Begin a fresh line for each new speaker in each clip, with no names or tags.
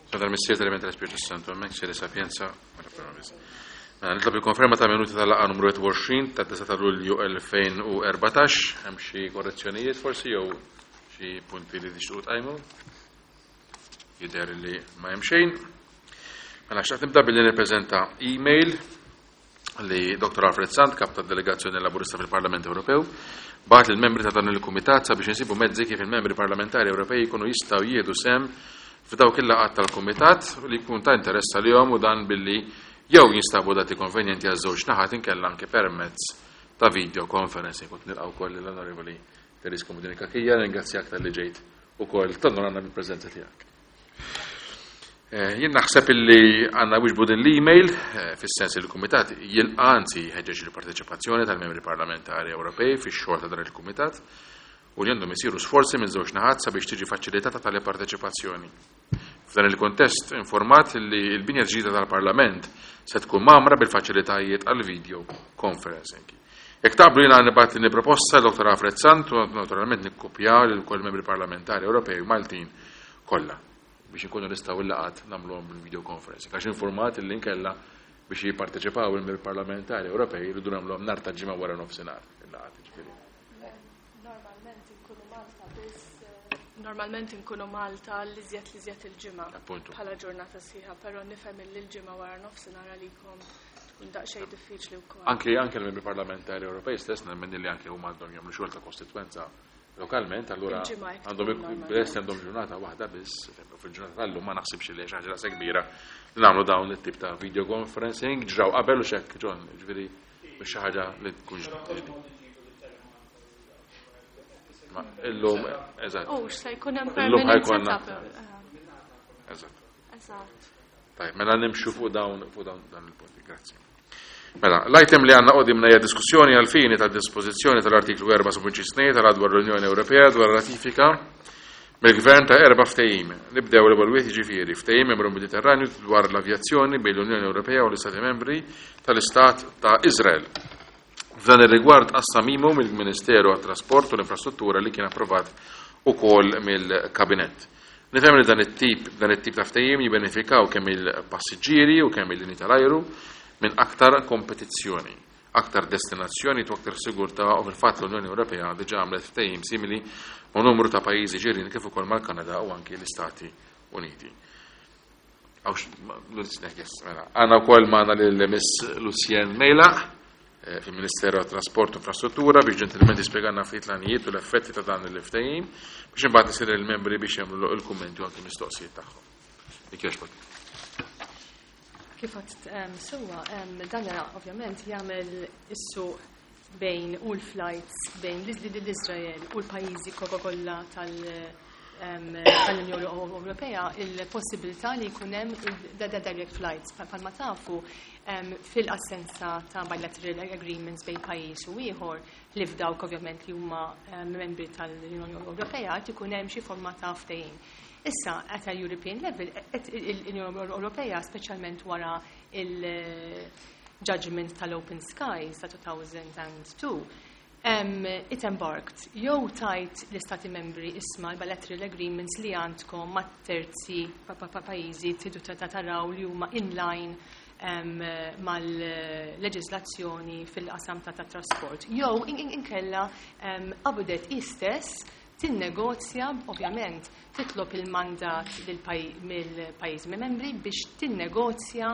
Tal-Missier tal-Iben tal-Ispirtu Santu, hemmhekk seri sapienza. Mela, nitlob il-konferma ta' minuti tal-laqgħa numru 21 ta' 9 ta' Lulju 2014. Hemm xi korrezzjonijiet forsi jew xi punti li tixtiequ tqajmu? Jidher li ma hemm xejn. Mela xtaqt nibda billi nippreżenta email li Dr. Alfred Sant, kap tad-delegazzjoni Laburista fil-Parlament Ewropew, bagħat lill-membri ta' dan il-kumitat sabiex insibu mezzi kif il-membri parlamentari Ewropej jkunu jistgħu jieħdu sehem f'dawk il-laqgħat tal-kumitat li jkun ta' interess għalihom u dan billi jew jinstabu dati konvenjenti għaż-żewġ naħat inkella anke permezz ta' video conferencing. Kont nilqa' wkoll lill-Onorevoli Therese Comodini Cachia, ringrazzjak talli ġejt ukoll tonorana bil-preżenza tiegħek. Eh, jien naħseb illi għandna wieġbu din l-email eh, fis-sens li l-Kumitat jilqa' anzi jħeġġeġ il-parteċipazzjoni tal-membri parlamentari Ewropej fix-xogħol ta' dan il-Kumitat u li għandhom isiru sforzi minn żewġ naħat sabiex tiġi faċilitata tali parteċipazzjoni. F'dan il-kontest informat li l-binja ġdida tal-Parlament se tkun mamra bil-faċilitajiet għal video conferencing. Jekk taqblu jiena nibgħat din il-proposta Dr. Alfred Sant u naturalment nikkopja lil kull membri parlamentari Ewropej u Maltin kollha biex inkunu nistgħu il-laqgħat nagħmluhom bil-video conferencing. Għax informat li nkella biex jipparteċipaw il-membri parlamentari Ewropej jridu nagħmluhom nhar ta' ġimgħa wara nofsinhar il-laqgħat ġifieri.
Normalment inkunu Malta biss Normalment inkunu Malta l-iżjed l-iżjed il-ġimgħa. Bħala ġurnata sħiħa, però nifhem li l-ġimgħa wara nofsinhar għalikom tkun daqsxejn diffiċli wkoll.
Anke anke l-membri parlamentari Ewropej stess nemmen li anke huma għandhom jagħmlu xogħol ta' kostitwenza lokalment, allura għandhom lesti għandhom ġurnata waħda biss, fil-ġurnata tal-lum ma naħsibx li xi ħaġa daqshekk kbira li nagħmlu dawn it-tip ta' video conferencing ġraw qabel u xekk John, ġifieri mhux xi ħaġa li tkun Ma illum, eżatt.
U se jkun hemm permanent
ħajkonna. Eżatt.
Eżatt.
Tajb, mela nimxu fuq dawn fuq dawn dan il-punti. Grazzi. Mela, l-item li għandna qudimna hija diskussjoni għal fini ta' dispożizzjoni tal-artiklu 4.2 tal dwar l-Unjoni Ewropea dwar ratifika mill-Gvern ta' erba' ftehim. Nibdew l-ewwel wieħed jiġifieri ftehim Membru Mediterranju dwar l-avjazzjoni bejn l-Unjoni Ewropea u l-Istati Membri tal-Istat ta' Izrael. F'dan ir-rigward qassam memo mill-Ministeru għat-Trasport u l-Infrastruttura li kien approvat ukoll mill-Kabinett. Nifhem li dan it-tip dan it-tip ta' ftehim jibbenefikaw kemm il-passiġġieri u kemm il-linji tal-ajru minn aktar kompetizzjoni, aktar destinazzjoni u aktar sigurtà u fil-fatt l-Unjoni Ewropea diġà għamlet ftehim simili ma' numru ta' pajjiżi ġirien kif ukoll mal-Kanada u anki l-Istati Uniti. Mela, għandna wkoll magħna lil Miss Lucien Mejlaq eh, fil-Ministeru għat-Trasport u Infrastruttura biex ġentilment jispjegana ftit l-għanijiet u l-effetti ta' dan il-ftehim biex imbagħad isir il-membri biex jagħmlu il-kummenti u anki mistoqsijiet tagħhom. Ikjoġbok.
Kif għadt sewwa, dan ovvjament jagħmel is-suq bejn u l-flights bejn l-Izrael u l-pajjiżi kollha tal-Unjoni Ewropea il-possibilità li jkun hemm direct flights. Bħalma tafu fil-assenza ta' bilateral agreements bejn pajjiż u ieħor li f'dawk ovvjament li huma membri tal-Unjoni Ewropea qed ikun hemm xi forma ta' ftehim. Issa at a European level l-Unjoni Ewropea speċjalment wara il-judgment tal-Open Skies ta' 2002 it embarked jew tajt l-istati membri isma l-bilateral agreements li għandkom ma' terzi pajjiżi tridu taraw li huma in line mal-leġislazzjoni fil-qasam ta' trasport. Jew inkella qabdet istess tinnegozja, ovvjament, titlob il-mandat mill-pajjiżi membri biex tinnegozja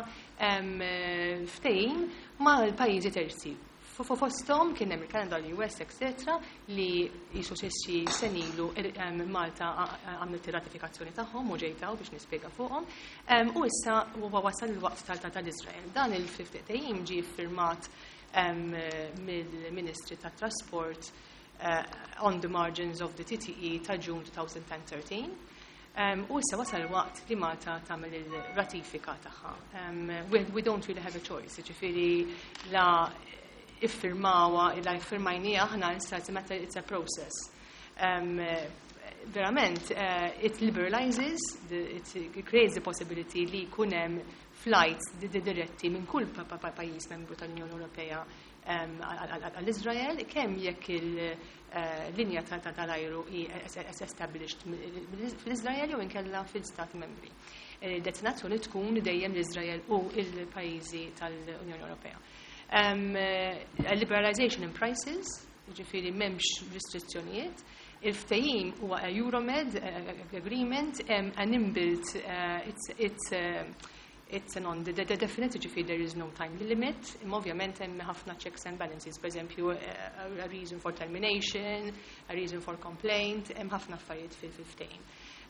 ftehim mal-pajjiżi terzi. Fosthom kien hemm il-Kanada, l-US, etc. li jisu xi senilu Malta għamlet ir-ratifikazzjoni tagħhom u ġejtaw biex nispjega fuqhom. U issa huwa wasal il-waqt tal-Iżrael. Dan il-ftehim ġie firmat mill-Ministri tat-Trasport on the margins of the TTE ta' June 2013. U issa wasal il-waqt li Malta tagħmel il-ratifika tagħha. We don't really have a choice, ġifieri la iffirmawa, la iffirmajnija aħna issa it's a matter, it's a process. Verament, it liberalizes, it creates the possibility li jkun hemm flights diretti minn kull pajjiż membru tal-Unjoni Ewropea għall-Izrael, kemm jekk il-linja tal-ajru hi established fl-Izrael jew inkella fil-Stati membri. Destinazzjoni tkun dejjem l-Izrael u il-pajjiżi tal-Unjoni Ewropea. Liberalization in prices, ġifieri m'hemmx restrizzjonijiet. Il-ftehim huwa a Euromed agreement, an inbuilt, it's a non-definite, ġifieri there is no time limit, imma ovvjament hemm ħafna checks and balances, per eżempju, a reason for termination, a reason for complaint, hemm ħafna affarijiet fil-ftehim.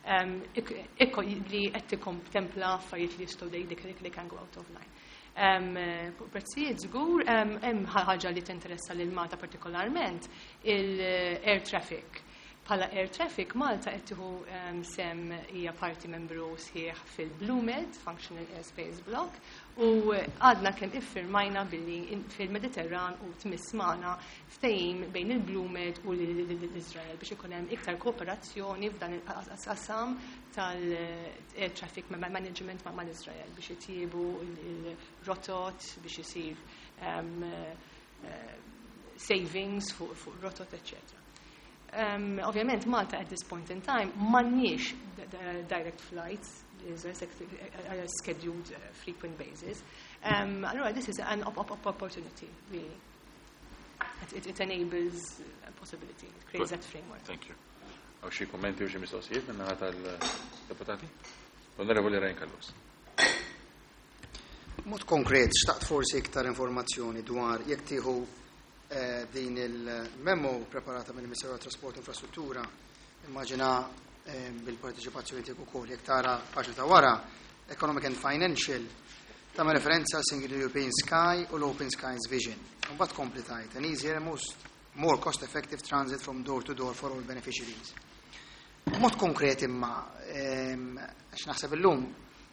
Ikko li qed tikkontempla affarijiet li jistgħu they can go out of line. Prezzijiet żgur, hemm ħaġa li tinteressa lil Malta partikolarment, il-air traffic. Bħala air traffic, Malta qed tieħu sem, hija parti membru sħiħ fil-BlueMed, Functional Airspace Block, u għadna kemm iffirmajna billi fil-Mediterran u tmiss magħna ftehim bejn il-BlueMed u l-Izrael biex ikun hemm iktar kooperazzjoni f'dan il-qasam tal-air traffic management mal-Izrael biex itjiebu il-rotot, biex isir savings fuq rotot, etc. Ovvjament Malta at this point in time m'għandniex direct flights, is a scheduled frequent basis. Allora this is an opportunity, really. It enables a possibility, it creates
Good.
That framework.
Thank you. Hawn xi kummenti u xi mistoqsijiet min-naħa tal-deputati? L-Onorevoli Ryan Callus.
Mod konkret, xtaqt forsi iktar informazzjoni dwar jekk tieħu din il-memo preparata mill-Ministeru tat-Trasport u Infrastruttura, immaġina bil-parteċipazzjoni tiegħek ukoll, jekk tara paġna ta' wara, Economic and Financial, tagħmel referenza Single European Sky u l-Open Skies Vision. Mbagħad kompli tajt, an easier and most more cost-effective transit from door to door for all beneficiaries. Mod konkret imma, għax naħseb illum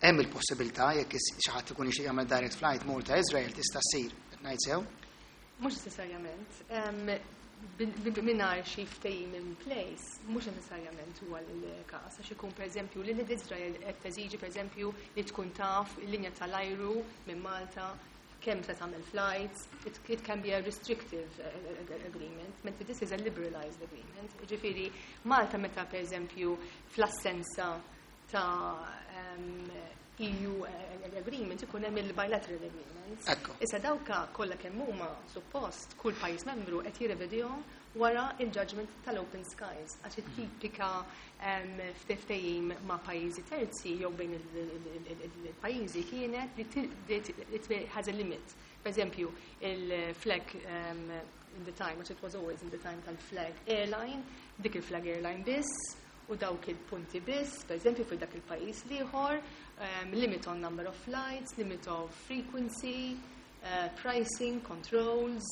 hemm il-possibilità jekk xi ħadd ikun jixtieq jagħmel direct flight Malta Israel tista' ssir, qed ngħid sew?
Mhux necessarjament. Mingħajr xi ftehim in place, mhux necessarjament huwa l-każ, għax ikun pereżempju li l-Izrael qed teżiġi pereżempju li tkun taf il-linja tal-ajru minn Malta kemm se tagħmel flights, it can be a restrictive agreement, mentri this is a liberalized agreement. Ġifieri Malta meta pereżempju fl-assenza ta' EU agreement ikun hemm il-bilateral agreements.
Ekku.
Issa dawka kollha kemm huma suppost kull pajjiż membru qed jirrevedihom wara il-judgment tal-Open Skies, għax it-tipika ftehim ma' pajjiżi terzi jew bejn il-pajjiżi kienet li it has a limit. Per eżempju, il-flag in the time, which it was always in the time tal-flag airline, dik il-flag airline biss, u dawk il-punti biss, per eżempju, fil dak il-pajjiż l-ieħor, limit on number of flights, limit of frequency, pricing, controls,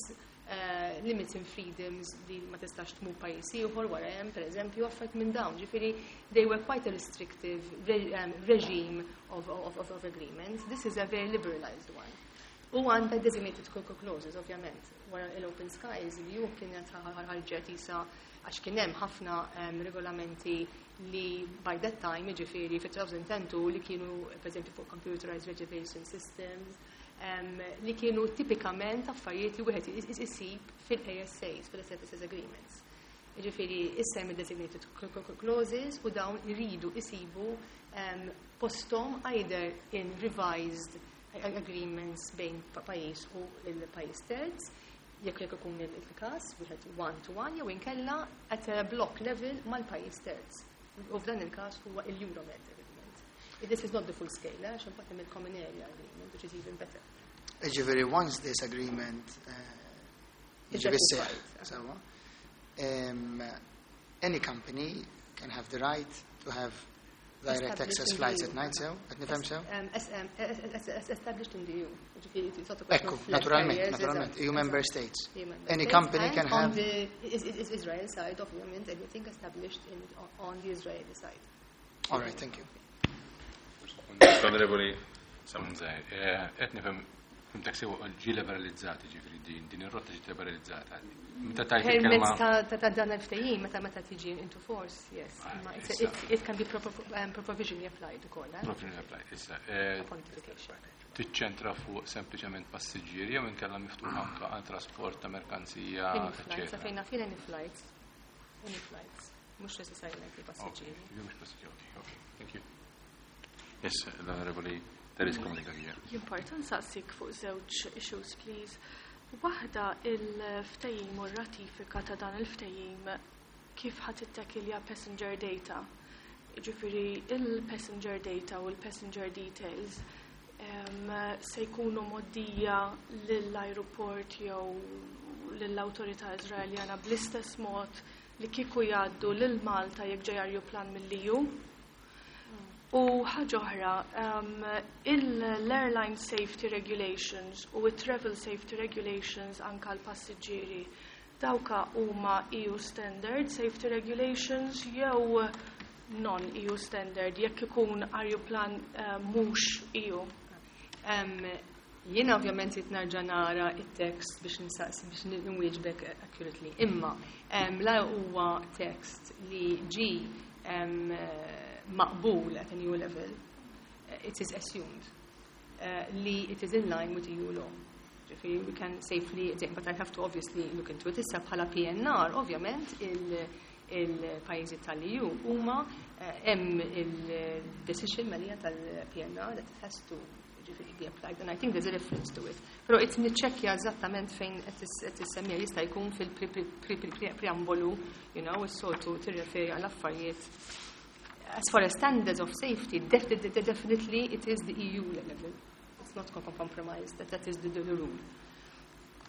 limits in freedoms li ma tistax tmur pajjiż ieħor wara hemm, per eżempju, affarijiet minn dawn. Ġifieri, they were quite a restrictive regime of agreements. This is a very liberalized one. U għandha designated clauses, ovvjament. Wara l-Open Skies, li ju kienet ħarġet isa għax kien hemm ħafna regolamenti li by that time, ġifieri fi 2010, li kienu, per eżempju, fuq computerized reservation systems, li kienu tipikament affarijiet li wieħed isib fil-ASAs, fil-Services Agreements. Ġifieri, issa hemm designated clauses u dawn iridu isibu postom either in revised agreements bejn pajjiż u il-pajjiż terz, jekk ikun il-każ, wieħed one to one, jew inkella at a block level mal-pajjiż terz. U f'dan il-każ huwa il-Euromed agreement. This is not the full scale, għax imbagħad hemm il-common area agreement, which is even better.
Ġifieri, once this agreement
Is
jiġi fis-seħħ,
ratified.
sewwa, any company can have the right to have direct
Established
access
in the
flights
EU.
at night, sew? Qed nifhem sew?
Established in the EU. Ġifieri, it's not a question
Ekku,
of flag
naturalment,
carriers,
naturalment.
eżatt,
EU member
eżatt.
states.
EU member
Any
states
company
and
can
on
have
the Israel side, ovvjament, everything established on the Israeli side.
All right, thank you.
Onorevoli Sammut.
Qed nifhem fimtek sew ġi liberalizzati, ġifieri din ir-rotta ġiet liberalizzata. Meta tajt
Permezz
il-kelma
ta' dan il-ftehim, meta tiġi into force, yes.
Ah,
Imma
issa.
it can be provisionally applied ukoll, eh?
Provisionally applied, issa.
Upon notification.
Tiċċentra fuq sempliċement passiġġieri jew inkella miftuħ anke għal trasport ta' merkanzija,
Any flights,
eccetera.
sa fejn naf any flights. Any flights. Mhux necessarily
Ok,
passiġġieri.
mhux passiġġieri, ok, thank you.
Yes, l-Onorevoli Therese Komunikacija.
Jimporta nsaqsik fuq żewġ issues, please. Waħda, il-ftehim u r-ratifika ta' dan il-ftehim kif ħa tittekilja passenger data. Ġifieri il-passenger data u l-passenger details se jkunu mgħoddija lill-aeroport jew lill-awtorità Iżraeljana bl-istess mod li kieku jgħaddu lil Malta jekk ġej ajruplan mill-EU. U ħaġa oħra, l-Airline Safety Regulations u il-Travel Safety Regulations anka l-passiġġieri, dawka huma EU Standard Safety Regulations jew non-EU standard jekk ikun ajruplan mhux EU?
Jiena ovvjament jrid nerġa' nara it-text biex nsaqsi biex nwieġbek accurately. Imma la huwa text li ġi maqbul at an EU level, it is assumed li it is in line with EU law. Ġifieri we can safely, but I have to obviously look into it. Issa bħala PNR, ovvjament, il-pajjiżi tal-EU huma hemm il-decision malija tal-PNR that it has to, ġifieri, be applied, and I think there's a reference to it. Però it niċċekkja eżattament fejn qed issemmija, jista' jkun fil-preambolu, is-soltu tirreferi għal affarijiet. As far as standards of safety, definitely it is the EU level. It's not compromised, that is the rule.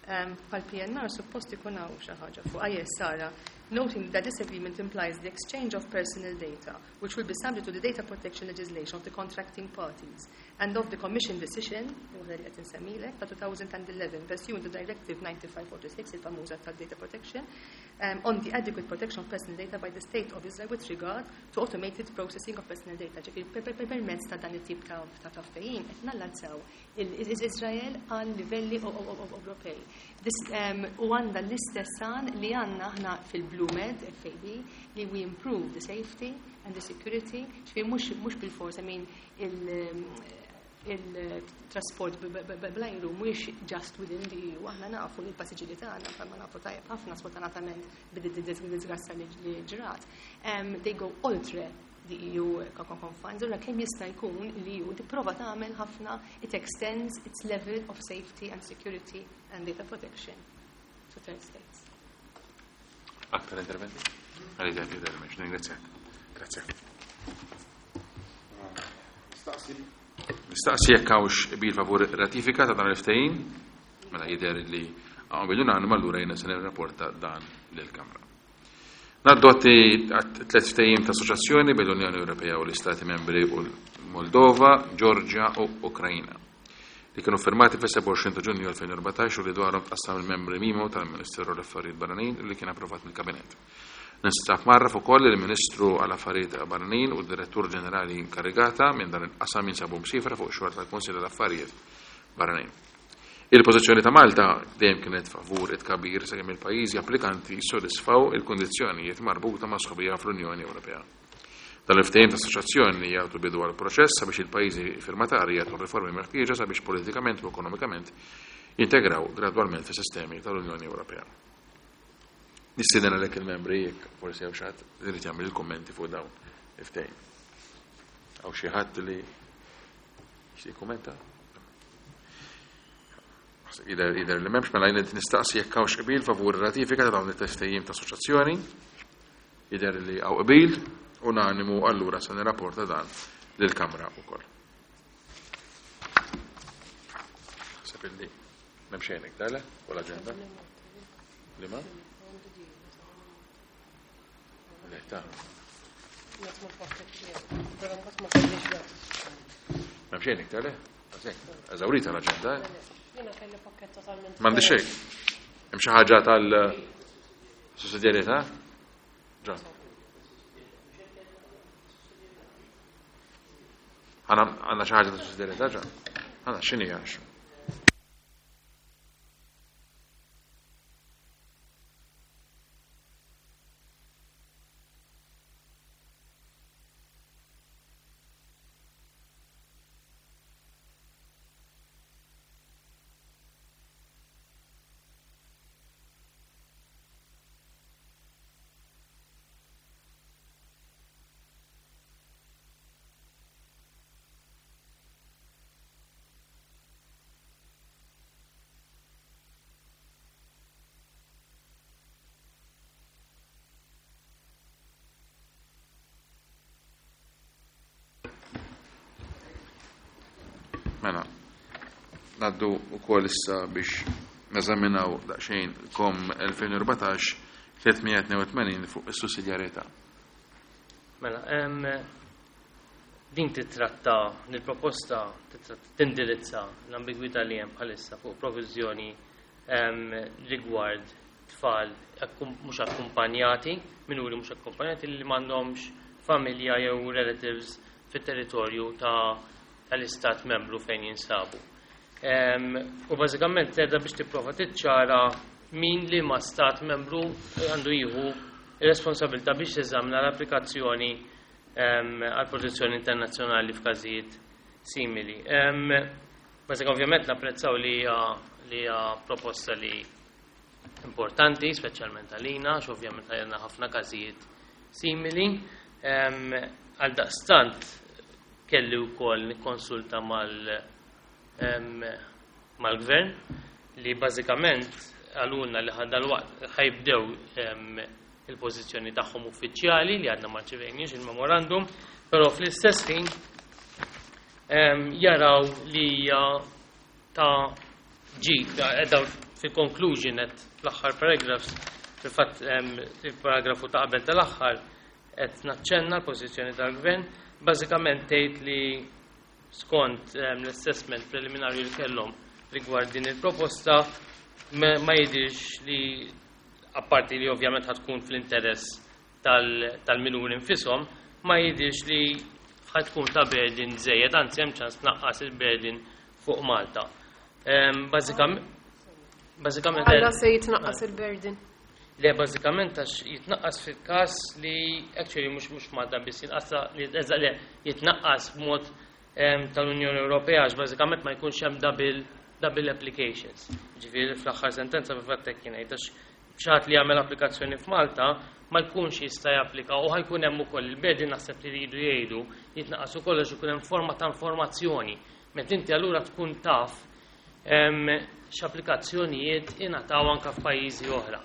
Pal PNR suppost ikun hawn xi ħaġa fuq. Ah, yes, Sara, noting that this agreement implies the exchange of personal data, which will be subject to the data protection legislation of the contracting parties and of the Commission decision, waħda li qed insemmilek, ta' 2011, pursuant to Directive 9546, il-famuża ta' data protection, on the adequate protection of personal data by the State of Israel with regard to automated processing of personal data. Ġifieri permezz ta' dan it-tip ta' ftehim qed nallanzaw il-Izrael għal livelli Ewropej. U għandha l-istess għan li għandna aħna fil-BlueMed, FAB, li we improve the safety and the security, ġifieri mhux bil-fors, I mean, il-trasport bl-ajru mhuwiex just within the EU, aħna nafu li l-passiġġieri tagħna, bħalma nafu tajjeb ħafna sfortunatament bid-disgrazza li ġrat, they go oltre the EU confines. Allura kemm jista' jkun li EU tipprova tagħmel ħafna, it extends its level of safety and security and data protection to third states.
Aktar interventi? Għalli għalli għalli, ningrazzjak. Grazie. Nistaqsi jekk hawnx qbil favur ratifika ta' dan il-ftehim, mela jidher li hawn qbil unanimu, allura jiena se nirrapporta dan lill-Kamra. Ngħaddu għat tliet ftehim ta' assoċjazzjoni bejn l-Unjoni Ewropea u l-Istati Membri u l-Moldova, Georgia u Ukrajina, li kienu firmati fis-27 ta' Ġunju 2014 u li dwarhom tqassam il-membri memo tal-Ministeru l-Affarijiet Barranin u li kien approvat mill-Kabinett. Ninstab mgħarraf ukoll li l-Ministru għall-Affarijiet Barranin u d-Direttur Ġenerali inkarigata minn dan il-qasam jinsabu msifra fuq xogħol tal-Kunsill tal-Affarijiet Barranin. Il-pożizzjoni ta' Malta dejjem kienet favur it-tkabbir sakemm il-pajjiżi applikanti jissodisfaw il-kundizzjonijiet marbuta ma' sħubija fl-Unjoni Ewropea. Dan il-ftehim ta' assoċjazzjoni jagħtu bidu għal proċess sabiex il-pajjiżi firmatari jagħtu riformi meħtieġa sabiex politikament u ekonomikament jintegraw gradwalment fis-sistemi tal-Unjoni Ewropea. Nistieden għalhekk il-membri jekk forsi hawn xi ħadd li jrid jagħmel il-kummenti fuq dawn il-ftehim. Hawn xi ħadd li jixtieq jikkummenta? Jidher li m'hemmx, mela jien nistaqsi jekk hawnx qbil favur ratifika ta' dawn it-ftehim ta' assoċjazzjoni. Jidher li hawn qbil unanimu, allura se nirrapporta dan lill-Kamra wkoll. Naħseb illi m'hemm xejn iktar, le? Fuq l-aġenda? Liema? Le, ta' M'hemm xejn iktar, le? Eżawrita l-aġenda, eh? M'għandi xejn. Hemm xi ħaġa tal-sussidjarjetà? Ġa. Għandna xi ħaġa tal-sussidjarjetà ġa? Għandna x'inhi għax? Mela, ngħaddu wkoll issa biex neżaminaw daqsxejn COM 2014 382 fuq is-sussidjarjetà.
Mela, din titratta, il-proposta tindirizza l-ambigwità li hemm bħalissa fuq proviżjoni rigward tfal mhux akkumpanjati, minuri mhux akkumpanjati li m'għandhomx familja jew relatives fit-territorju tal-istat membru fejn jinsabu. U bażikament qiegħda biex tipprova tiċċara min li ma stat membru għandu jieħu responsabilità biex jeżamina l-applikazzjoni għal protezzjoni internazzjonali f'każijiet simili. Bażikament ovvjament napprezzaw li hija proposta li importanti, speċjalment għalina, għax ovvjament għandna ħafna każijiet simili. Għal daqstant kelli wkoll nikkonsulta mal-gvern li bażikament għalulna li dal-waqt ħa jibdew il-pożizzjoni tagħhom uffiċjali li għadna ma rċevejniex il-memorandum, però fl-istess ħin jaraw li hija ta' ġid, daw fil-conclusion qed fl-aħħar paragraphs, fil-fatt il-paragrafu ta' qabel tal-aħħar qed naċċenna l-pożizzjoni tal-gvern, bażikament tgħid li skont l-assessment preliminarju li kellhom rigward din il-proposta ma jidirx li apparti li ovvjament ħa tkun fl-interess tal-minuri nfishom, ma jidirx li ħa tkun ta' burden żejjed, anzi hemm ċans tnaqqas il-burden fuq Malta. Bażikament
Għalla se jitnaqqas il-burden.
Le, bażikament għax jitnaqqas fil-każ li actually mhux Malta biss jinqas li le jitnaqqas b'mod tal-Unjoni Ewropea għax bażikament ma jkunx hemm double applications. Ġifieri fl-aħħar sentenza fil-fatt hekk kien għax xi ħadd li jagħmel applikazzjoni f'Malta ma jkunx jista' japplika u ħa jkun hemm ukoll il-burden naħseb li jridu jgħidu jitnaqqas ukoll għax ikun hemm forma ta' informazzjoni. Meta inti allura tkun taf x'applikazzjonijiet ingħataw anke f'pajjiżi oħra.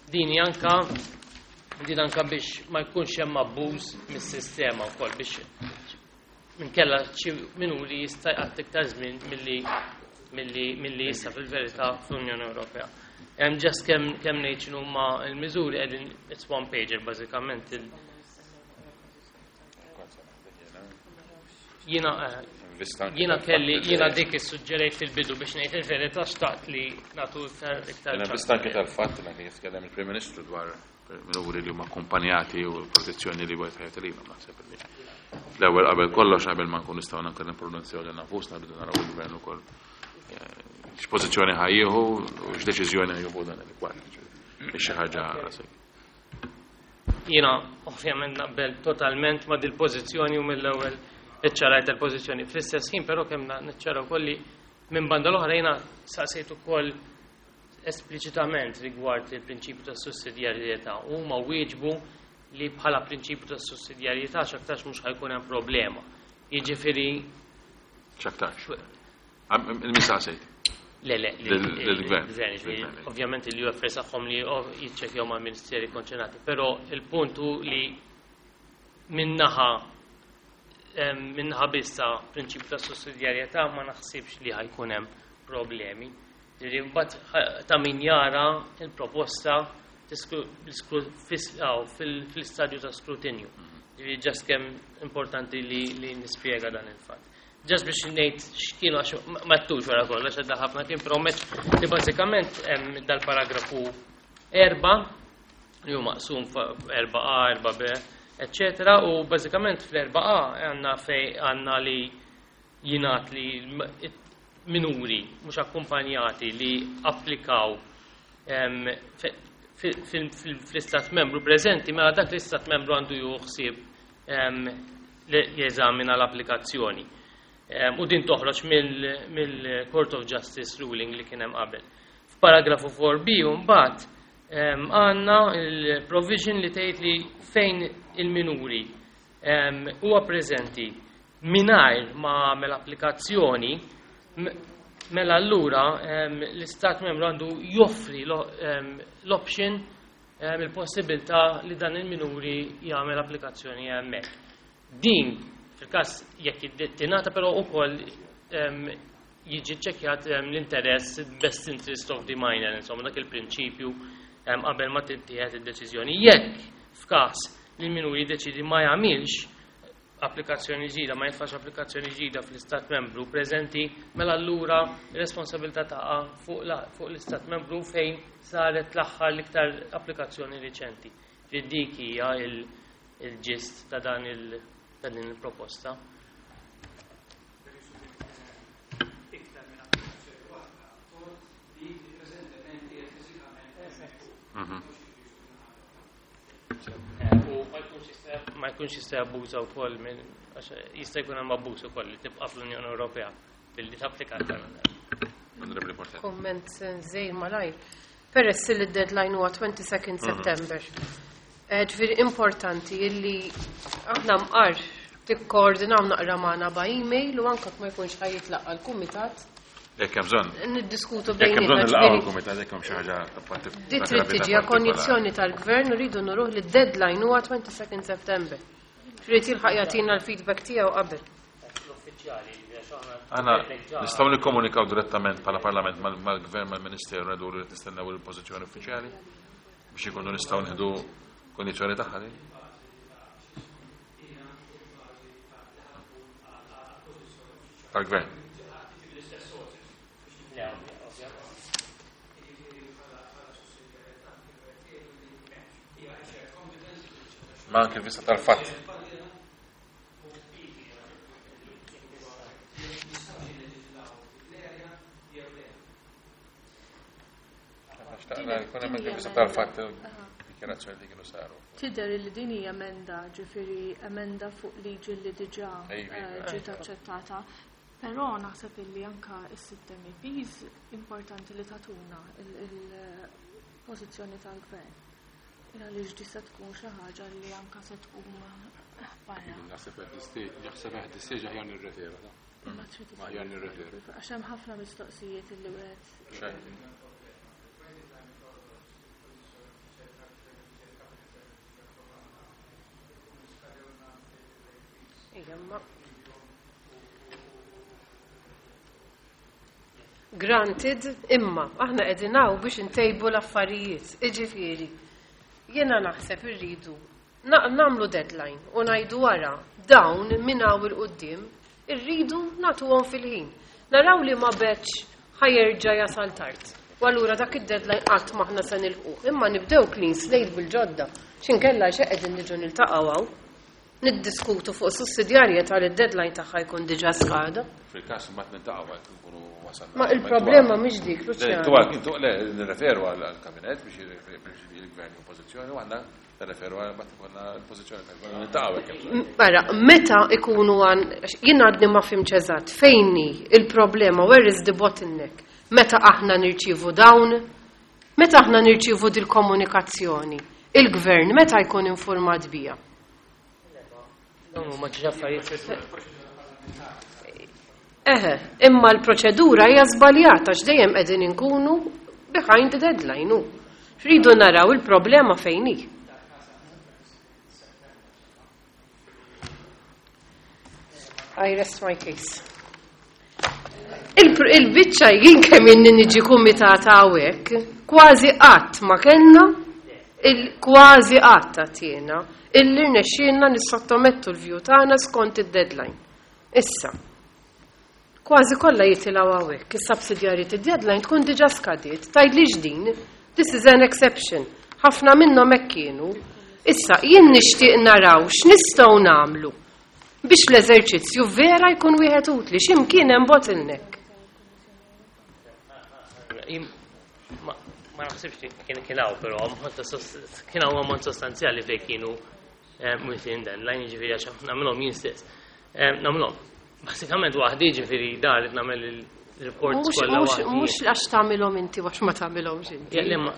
Din anka din anka biex ma jkunx hemm abbuż mis-sistema wkoll biex minkella xi minuri jista' jqatt iktar żmien milli jista' fil-verità fl-Unjoni Ewropea. Hemm just kemm ngħid x'inhu huma l-miżuri qegħdin, it's one pager bażikament jiena kelli jiena dik issuġġerejt fil-bidu biex ngħid il-verità xtaqt li nagħtu iktar iktar.
Jiena vista anke tal-fatt li anke jitkellem il-Prim Ministru dwar minuri li huma akkumpanjati u l-protezzjoni li wieħed ħajja lilhom, naħseb li l-ewwel qabel kollox, qabel ma nkun nistgħu anke nippronunzjaw lil nafusna, rridu naraw il-gvern ukoll x'pożizzjoni ħa jieħu u x'deċiżjoni ħa jieħu dan il-kwart. Xi ħaġa rasek.
Jiena ovvjament naqbel totalment ma' dil-pożizzjoni u mill-ewwel iċċarajt il-pożizzjoni. Fl-istess ħin però kemm niċċara wkoll li minn banda l-oħra jiena saqsejt ukoll espliċitament rigward il-prinċipju ta' sussidjarjetà u huma wieġbu li bħala prinċipju ta' sussidjarjetà x'aktarx mhux ħa jkun hemm problema. Jiġifieri
X'aktarx. Il-min saqsejt?
Le,
Lill-gvern.
Il-gvern, ovvjament il-UFS tagħhom li jiċċekkjaw mal-ministeri konċernati, però il-punt hu li minnaħa biss ta' prinċipju ta' sussidjarjetà ma naħsibx li ħa jkun hemm problemi. Ġifieri mbagħad ta' min jara il-proposta fil-istadju ta' skrutinju. Ġifieri just kemm importanti li nispjega dan il-fatt. Just biex ngħid x'kienu għax ma ttux wara kollox għadda ħafna kien promess li bażikament hemm dal-paragrafu 4 li hu maqsum 4A, 4B, eccetera, u bażikament fl-4A għandna fej għandna li jingħad li minuri mhux akkumpanjati li applikaw fl-istat membru preżenti, mela dak l-istat membru għandu jieħu ħsieb li jeżamina l-applikazzjoni. U din toħroġ mill-Court of Justice ruling li kien hemm qabel. F'paragrafu 4b mbagħad għandna il-provision li tgħid li fejn il-minuri huwa preżenti mingħajr ma għamel applikazzjoni, mela allura l-istat membru għandu joffri l-option, il-possibilità li dan il-minuri jagħmel applikazzjoni hemmhekk. Din fil-każ Fil-każ jekk tingħata però wkoll jiġi ċċekkjat l-interess, best interest of the minor, insomma dak il-prinċipju qabel ma tittieħed id-deċiżjoni. Jekk f'każ li l-minuri jiddeċiedi ma jagħmilx applikazzjoni ġdida, ma jitfax applikazzjoni ġdida fl-Istat membru preżenti, mela allura r-responsabilità taqa' fuq l-Istat membru fejn saret l-aħħar l-iktar applikazzjoni riċenti. Li dik hija il-ġist ta' dan il ta' din il-proposta. U ma jkunx jista' jabbuża wkoll minn għax jista' jkun hemm abbuż ukoll li tibqa' fl-Unjoni Ewropea billi tapplika aktar minn darba.
Onorevoli Portelli.
Komment żgħir malajr. Peress li d-deadline huwa 22 September. Ġifieri importanti illi aħna mqar tikkoordinaw naqra magħna by email u anke ma jkunx ħa jitlaqqa' l-kumitat.
Jekk hemm bżonn.
Niddiskutu
Jekk hemm bżonn
bejnietna,
nilqgħu
ġifieri
l-kumitat jekk hemm xi ħaġa ta' parti
Di trid tiġi a konjizzjoni tal-gvern u rridu nuruh li d-deadline huwa 22 September. Trid jilħaq jagħtina l-feedback tiegħu qabel.
Aħna nistgħu nikkomunikaw direttament bħala Parlament mal-Gvern, mal-Ministeru ngħidu li nistennew il-pożizzjoni uffiċjali biex ikunu nistgħu nieħdu kondizzjoni tagħha din. Tal-Gvern. Ma anke vista tal-fatt. Xtaqna jkun hemm anke vista tal-fatt dikjarazzjoni li kienu saru.
Tidher li din hija emenda, ġifieri emenda fuq liġi li diġà ġiet aċċettata. Però naħseb illi anka s-sitt MEPs importanti li tagħtuna il-pożizzjoni tal-gvern. Għaliex di se tkun xi ħaġa li anka se tqum barra.
Naħseb at this stage, naħseb at this stage aħjar nirreferu, ta?
Ma trid
Ma aħjar nirreferu.
Għax hemm ħafna mistoqsijiet illi wieħed.
Ejja, ma Granted, imma aħna qegħdin hawn biex intejbu l-affarijiet. Iġifieri, jiena naħseb irridu nagħmlu deadline u ngħidu wara dawn minn hawn il quddiem irridu nagħtuhom fil-ħin. Naraw li ma beċ ħajerġa' jasal tard. U allura dak id-deadline qatt m'aħna se nilħquh. Imma nibdew clean slate bil-ġodda. X'inkella xi qegħdin niġu niltaqgħu hawn. Niddiskutu fuq sussidjarjetà li d-deadline tagħha jkun diġà skada.
Fil-każ imbagħad niltaqgħu għal nkunu wasalna.
Ma il-problema mhix dik,
Le,
Luciano.
tu għal, tu, le, nirreferu għal kabinet biex il-gvern u pożizzjoni u għandna nirreferu għal mbagħad ikollna l-pożizzjoni tal-gvern niltaqgħu hekk hemm bżonn.
Mara, meta ikunu għan, jien għadni ma fhimx eżatt, fejn hi il-problema, where is the bottleneck? Meta aħna nirċievu dawn? Meta aħna nirċievu dil-komunikazzjoni? Il-gvern meta jkun informat bija?
Dawn huma ġi affarijiet.
Eħe, imma l-proċedura hija żbaljata għax dejjem qegħdin inkunu behind the deadline hu. Rridu naraw il-problema fejn hi. I rest my case. Il-biċċa jien kemm inni niġi kumitata hawnhekk, kważi qatt ma kellna, kważi qatt għatjiena, illi rnexxielna nissottomettu l-view tagħna skont id-deadline. Issa, kważi kollha jitilgħu hawnhekk, is-subsidiarity deadline tkun diġà skadiet, tgħidlix din, this is an exception. Ħafna minnhom hekk kienu. Issa, jien nixtieq naraw x'nistgħu nagħmlu biex l-eżerċizzju vera jkun wieħed utli, x'imkien hemm bottleneck.
Ma naħsibx li kien hawn, però kien hawn ammont sostanzjali fejn kienu within deadline, jiġifieri għax nagħmilhom jien stess. Nagħmilhom. Basikament waħdi, jiġifieri dar qed nagħmel il-reports kollha waħdi.
Mhux għax tagħmilhom inti għax ma tagħmilhomx inti.
Ja, le, ma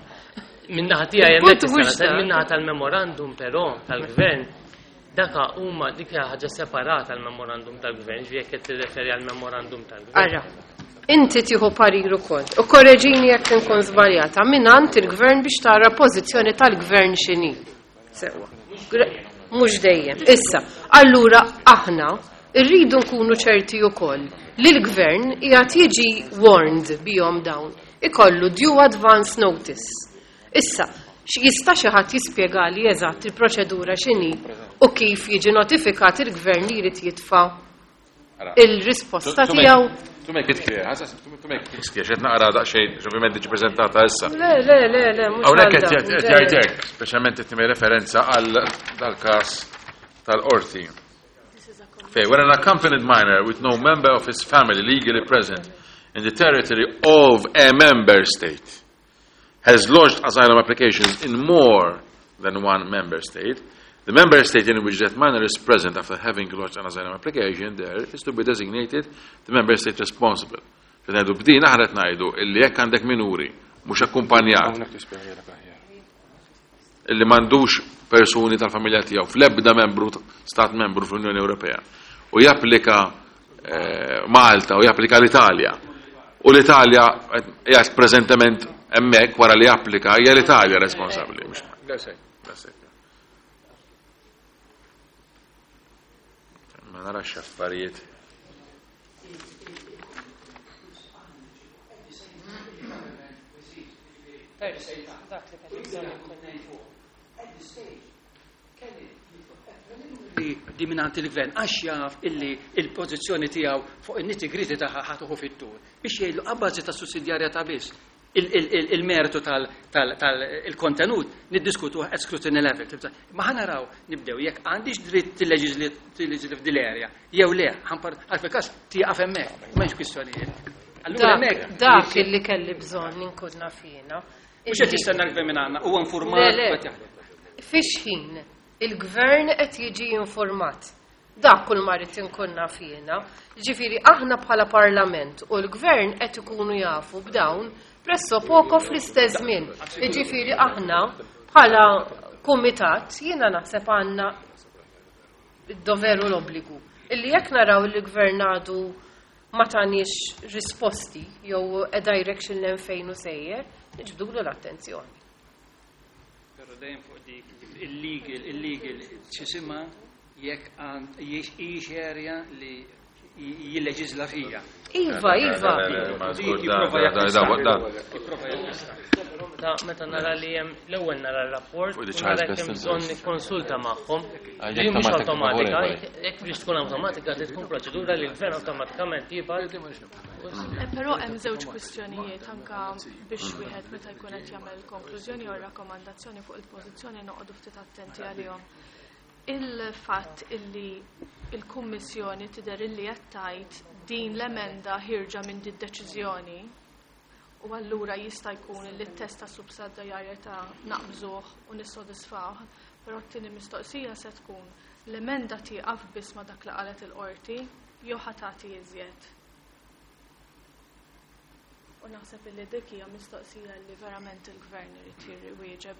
min-naħa tiegħi
Il-punt
hemmhekk
mhux
tista'
dak.
min-naħa tal-memorandum però tal-gvern, daka huma dik hija ħaġa separata l-memorandum tal-gvern, ġifieri jekk qed tirreferi għall-memorandum tal-gvern.
Ara, inti tieħu parir ukoll. U korreġini jekk inkun żbaljata mingħand il-gvern biex tara pożizzjoni tal-gvern x'inhi. Sewwa. Mhux dejjem. Issa, allura aħna Irridu nkunu ċerti wkoll li l-gvern qiegħed jiġi warned bihom dawn. Ikollu due advance notice. Issa, jista' xi ħadd jispjegali eżatt il-proċedura x'inhi u kif jiġi notifikat il-gvern li jrid jitfa' il-risposta tiegħu?
To make it clear, to make it clear, xed naqra daqsxejn, ovvjament diġi preżentata issa.
Le, le, le, le, mhux
Hawnhekk qed jgħid hekk, speċjalment qed nagħmel referenza għal dal-każ tal-qorti. Fej, when an accompanied minor with no member of his family legally present in the territory of a member state has lodged asylum applications in more than one member state, the member state in which that minor is present after having lodged an asylum application there is to be designated the member state responsible. Ngħidu b'din aħna qed ngħidu illi jekk għandek minuri mhux akkumpanjat illi m'għandux persuni tal-familja tiegħu fl-ebda membru stat membru fl-Unjoni Ewropea u japplika Malta u japplika l-Italja u l-Italja qiegħed preżentement hemmhekk wara li japplika hija l-Italja responsabbli. Ma narax affarijiet.
Di mingħand il-gvern għax jaf illi il-pożizzjoni tiegħu fuq in-nitty-gritty tagħha ħatuħu fit-tul biex jgħidlu abbażi ta' sussidjarjetà biss il-mertu tal-kontenut niddiskutuh at scrutiny level. Ma ħa naraw nibdew jekk għandix dritt tilleġisli f'dil area jew le, għal fil-każ tieqaf hemmhekk, m'hemmx kwistjonijiet. Allura hemmhekk
Dak illi kelli bżonn inkun naf jiena.
Mhux qed jistenna l-gvern minn għandna, huwa informat
Le, le.
qed jaħdem.
Fix ħin il-gvern qed jiġi informat. Dak kull ma rrid inkun naf jiena. Ġifieri aħna bħala parlament u l-gvern qed ikunu jafu b'dawn presso poco fl-istess żmien. Ġifieri aħna bħala kumitat jiena naħseb għandna id-doveru l-obbligu. Illi jekk naraw li l-gvern għadu ma taniex risposti jew a direction l fejn u sejjer, niġbdulu l-attenzjoni.
Però dejjem fuq dik illegal, illegal, x'isimha jekk għand hijiex area li jilleġisla fija.
Iva, iva.
Jipprova jakkwista.
Ta' meta nara li hemm l-ewwel nara r-rapport,
Fuq
u
the
nara
child's
jekk
best
hemm bżonn
interest.
nikkonsulta magħhom.
Ah,
Li
jekk
mhux
ta'
awtomatika,
favore,
jekk biex tkun awtomatika trid tkun proċedura li l-gvern awtomatikament jibgħat.
Però hemm żewġ kwistjonijiet anka biex wieħed meta jkun qed jagħmel konklużjoni jew rakkomandazzjoni fuq il-pożizzjoni noqogħdu ftit attenti għalihom. Il-fatt illi il-Kummissjoni tidher illi qed tgħid din l-emenda ħirġa minn din deċiżjoni u allura jista' jkun li t-test ta' sussidjarjetà naqbżuh u nissodisfawh, però t-tieni mistoqsija se tkun l-emenda tieqaf biss ma' dak li qalet il-qorti jew ħa tagħti iżjed. U naħseb illi dik hija mistoqsija li verament il-gvern irid jirwieġeb.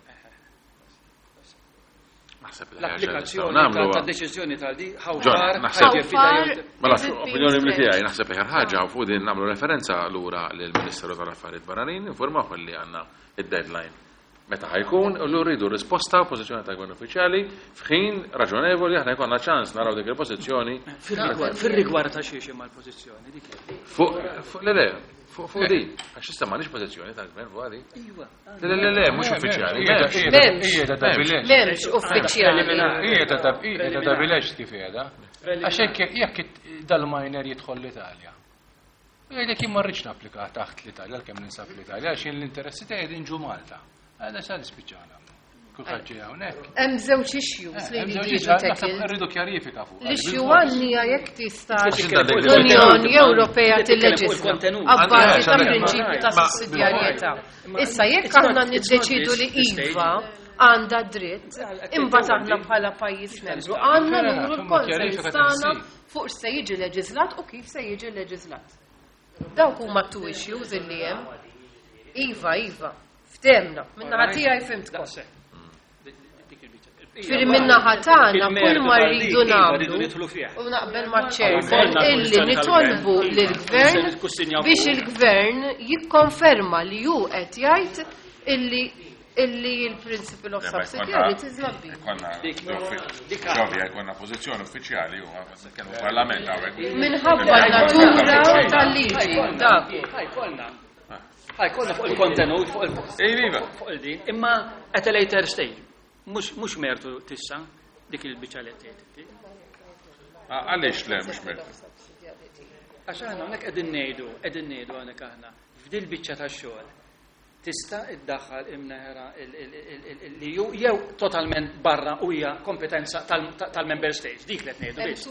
Naħseb li
L-applikazzjoni
nagħmlu
ta' deċiżjoni tal-di, how
John,
far,
naħseb-
how far,
How far
Mela,
is it being
opinjoni mill tiegħi
stretched?
naħseb li ħaġa fuq din nagħmlu referenza lura lill-Ministeru tal-Affarijiet Barranin, informaw li għandna id-deadline. Meta ħajkun, u l rridu risposta u pożizzjoni ta' gvern uffiċjali f'ħin raġonevoli aħna jkollna ċans naraw dik il-pożizzjoni
Fil-rigward ta' xiex imma l-pożizzjoni dik.
fuq le le, fuq din. Għax issa m'għandix pożizzjoni ta' gvern fuq għadi.
Iva.
Le le le, mhux uffiċjali.
M'hemmx.
Hija ta' bilex.
M'hemmx uffiċjali.
Hija ta' bilex kif qiegħda. Għax jekk dal-minor jidħol l-Italja. Jgħidlek jien ma rridx napplika taħt l-Italja, għalkemm ninsab l-Italja, għax jien l-interessi tiegħi qegħdin ġu Malta. Għada sa nispiċċana. Kulħadd ġej hawnhekk.
Hemm żewġ issues li
Hemm
jridu
żewġ
jiġu
issues, naħseb
tackled.
Rridu kjarifika fuq.
L-issue għandni jekk tista'
L-Unjoni
l-Unjoni Ewropea
Titkellem fuq
tilleġisla
il-kontenut.
abbażi ta'
Għandi-
prinċipju ta'
Ma-
sussidjarjetà. Issa jekk
It's not-
aħna
it's not
niddeċidu li
this
iva għandha dritt, imbagħad aħna bħala pajjiż membru għandna nuru l-konsens tagħna fuq x'se jiġi leġislat u kif se jiġi leġislat. Dawk huma two issues illi hemm. Iva, iva, ftehmna, minna tiegħi fhimtkom. Ġifieri minna tagħna kull ma rridu nagħmlu u naqbel ma' chairman illi nitolbu lill-gvern biex il-gvern jikkonferma li hu qed jgħid illi illi il-principle of subsidiarity is not being.
Ġovja, jkollna pożizzjoni uffiċjali u kellu parlament hawnhekk.
Minħabba n-natura tal-liġi. Dak.
Ħajkollna fuq il-kontenut, fuq il-din, imma at a later stage. Mhux mertu tissa dik il-biċċa li tgħid.
Għaliex le mhux mertu?
Għax aħna hawnhekk qegħdin ngħidu, qegħdin ngħidu hawnhekk aħna f'dil biċċa tax-xogħol tista' iddaħħal imneħra li ju jew totalment barra u hija kompetenza tal-member states. Dik li qed ngħidu biss.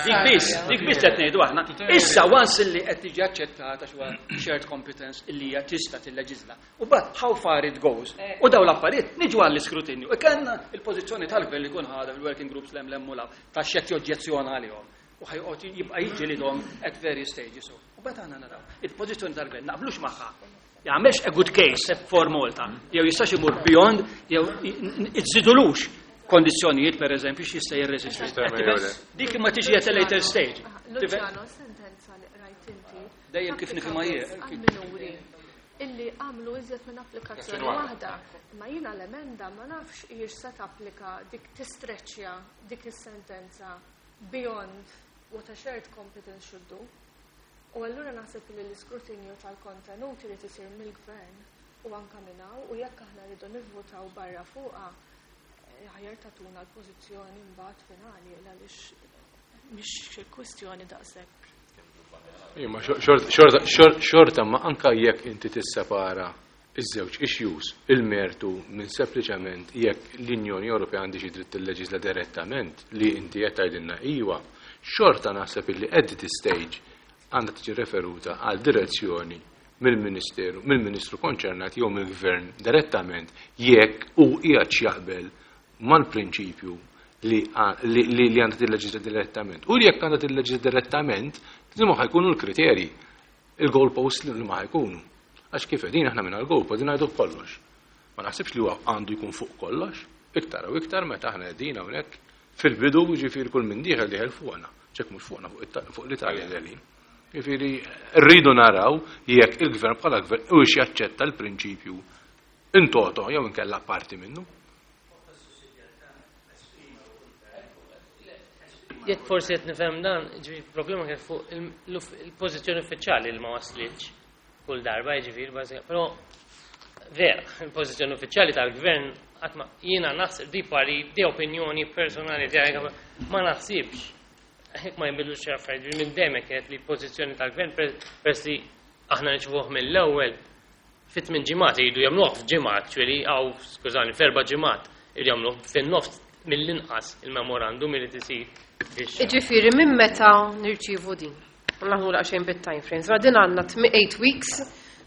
Dik biss, dik biss qed ngħidu aħna. Issa once li qed tiġi aċċettata xwa shared competence illi hija tista' tilleġisla. U bad how far it goes. U daw l-affarijiet niġu għall-iskrutinju. E kellna il-pożizzjoni tal-gvern li jkun ħadha fil-working groups lem lem u ta' xed joġġezzjona għalihom. U ħajqgħod jibqa' jiġġielidhom at various stages. U bad aħna naraw. Il-pożizzjoni tal-gvern naqblux magħha. Jagħmelx a good case for Malta. Jew jistax imur beyond, jew iżidulux kondizzjonijiet per eżempju x'jista' jirreżisti. Dik imma tiġi at a later stage.
Luciano, sentenza li qrajt inti.
Dejjem kif nifhimha jien.
Minuri illi għamlu iżjed minn applikazzjoni waħda. Ma jiena l-emenda ma nafx hijiex se tapplika dik tistreċja dik is-sentenza beyond what a shared competence should do. U allura naħseb li l-iskrutinju tal-kontenut irid isir mill-gvern u anka minn hawn u jekk aħna rridu nivvutaw barra fuqha aħjar tatuna l-pożizzjoni mbagħad finali għaliex mhix kwistjoni daqshekk.
Imma xorta ma anka jekk inti tissepara iż-żewġ issues, il-mertu minn sempliċement jekk l-Unjoni Ewropea għandi xi dritt tilleġisla direttament li inti qed tgħidilna iwa, xorta naħseb illi at this stage għandha tiġi referuta għal direzzjoni mill-Ministeru, mill-Ministru konċernat jew mill-Gvern direttament jekk u qiegħed jaqbel mal-prinċipju li għandha tilleġisla direttament. U jekk għandha tilleġisla direttament, li ma ħajkunu l-kriterji, il-goalpost li ma ħajkunu. Għax kif qegħdin aħna minn għal-goalpost din ngħidu kollox. Ma naħsibx li huwa għandu jkun fuq kollox, iktar u iktar meta aħna qegħdin hawnhekk fil-bidu ġifieri kull min dieħel dieħel fuqna, ċek mhux fuqna fuq l-Italja dieħlin. Ġifieri rridu naraw jekk il-gvern bħala gvern u jaċċetta l-prinċipju in toto jew inkella parti minnu.
Jekk forsi qed nifhem dan, ġifieri problema kien fuq il-pożizzjoni uffiċjali li ma waslitx kull darba, ġifieri bażika, però vera, il-pożizzjoni uffiċjali tal-gvern qatt ma jiena naħseb di pari di opinjoni personali tiegħi ma naħsibx. Hekk ma jinbidlux xi affarijiet, minn dejjem kienet li pożizzjoni tal-gvern peress li aħna nirċivuh mill-ewwel fit minn ġimgħat iridu jagħmluh f'ġimgħa actually, aw skużani, f'erba' ġimgħat iridu jagħmluh fin-nofs mill-inqas il-memorandum irid isir biex.
Ġifieri minn meta nirċievu din? Naħmu daqsxejn bit-time frames. Ma din għandna 8 weeks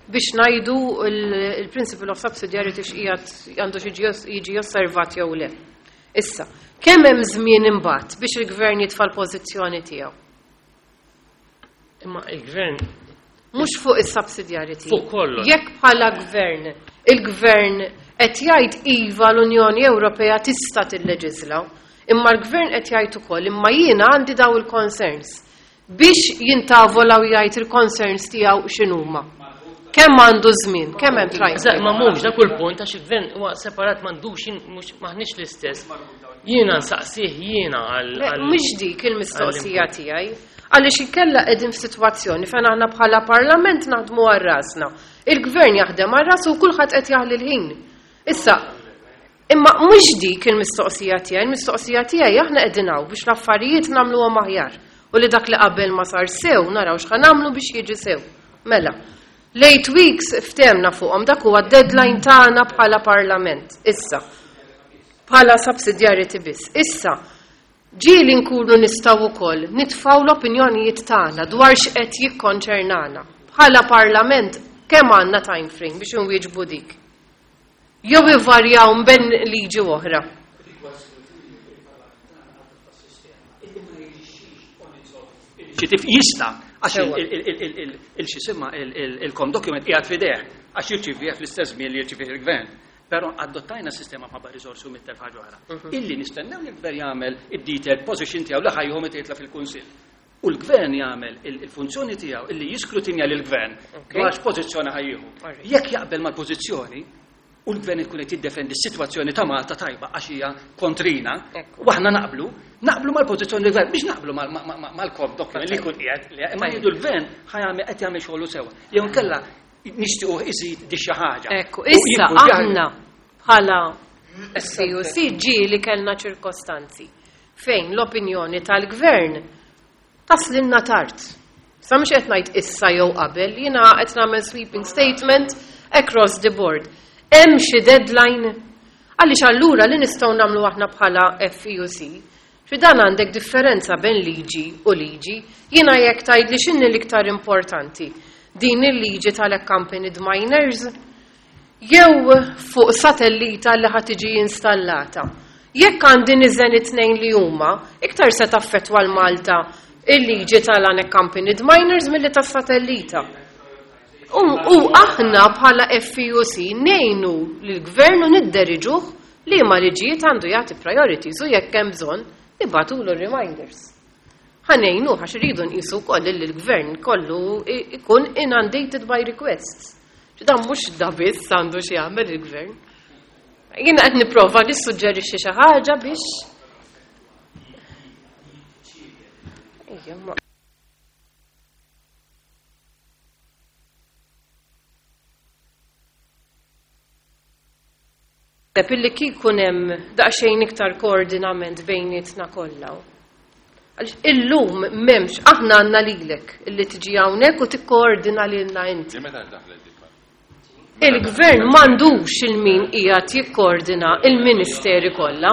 biex ngħidu il-principle of subsidiarity x'qiegħed għandu xi jiġi osservat jew le. Issa, kemm hemm żmien imbagħad biex il-gvern jitfa' l-pożizzjoni tiegħu?
Imma il-gvern
Mhux fuq is-subsidiarity.
Fuq kollox.
Jekk bħala gvern, il-gvern qed jgħid iva l-Unjoni Ewropea tista' tilleġisla, imma l-gvern qed jgħid ukoll imma jiena għandi daw il-concerns biex jintavola u jgħid il-concerns tiegħu x'inhuma. Kemm għandu żmien, kemm hemm time?
Eżatt, ma mhux dak kull punt għax il-gvern huwa separat m'għandux mhux maħniex l-istess. Jiena nsaqsih jiena għal.
Mhux dik il-mistoqsija tiegħi. Għaliex inkella qegħdin f'sitwazzjoni fejn aħna bħala parlament naħdmu għal rasna. Il-gvern jaħdem għal rasu u kulħadd qed jaħli l-ħin. Issa, imma mhux dik il-mistoqsija tiegħi, il-mistoqsija tiegħi aħna qegħdin hawn biex l-affarijiet nagħmluhom aħjar. U li dak li qabel ma sar sew naraw x'ħa nagħmlu biex jiġi sew. Mela, l-8 weeks ftemna fuqhom dak huwa deadline tagħna bħala parlament. Issa, bħala subsidiarity biss. Issa, ġieli nkunu nistgħu wkoll nitfgħu l-opinjonijiet tagħna dwar x'qed jikkonċernana. Bħala parlament kemm għandna time frame biex inwieġbu dik? Jew ivarjaw mben liġi oħra.
Ċitif jista' għax il-xisimma il-com document qiegħed f'idejh għax jirċivih fl-istess żmien li jirċivih il-gvern. Però adottajna sistema bħabba risorsi u mittel ħaġa oħra. Illi nistennew li l-gvern jagħmel id-detailed position tiegħu li ħajjhom jitla fil-Kunsill. U l-gvern jagħmel il-funzjoni tiegħu illi jiskrutinja lill-gvern dwar x'pożizzjoni ħajjieħu. Jekk jaqbel mal-pożizzjoni. u l-gvern ikun qed jiddefendi s-sitwazzjoni ta' Malta tajba għax hija kontrina, u aħna naqblu, naqblu mal-pożizzjoni tal-gvern, biex naqblu mal-kop document li jkun qiegħed, imma jgħidu l-gvern qed jagħmel xogħlu sewwa. Jew inkella nixtiequ iżid di xi ħaġa.
Ekku, issa aħna bħala FEUC ġieli kellna ċirkostanzi fejn l-opinjoni tal-gvern taslinna tard. Sa mhux qed ngħid issa jew qabel, jiena qed nagħmel sweeping statement across the board. Hemm xi deadline? Għaliex allura li nistgħu nagħmlu aħna bħala FEUC, fi dan għandek differenza bejn liġi u liġi, jiena jekk tgħidli x'inhi l-iktar importanti, din il-liġi tal-accompanied minors jew fuq satellita li ħa tiġi installata. Jekk għandi niżen it-tnejn li huma, iktar se taffettwa l-Malta il-liġi tal-unaccompanied minors milli tas-satellita. U aħna bħala FEUC ngħinu lill-gvern u nidderiġuh li ma liġijiet għandu jagħti priorities u jekk hemm bżonn nibagħtulu reminders. Ħa ngħinu għax iridu nqisu wkoll li l-gvern kollu ikun inundated by requests. Dan mhux da biss għandu xi jagħmel il-gvern. Jiena qed nipprova nissuġġerixxi xi ħaġa biex Ejja, Illi kieku hemm daqsxejn iktar koordinament bejnietna kollha. Għaliex illum m'hemmx, aħna għandna lilek illi tiġi hawnhekk u tikkoordina lilna inti. Il-gvern m'għandux il-min qiegħed jikkoordina il-ministeri kollha.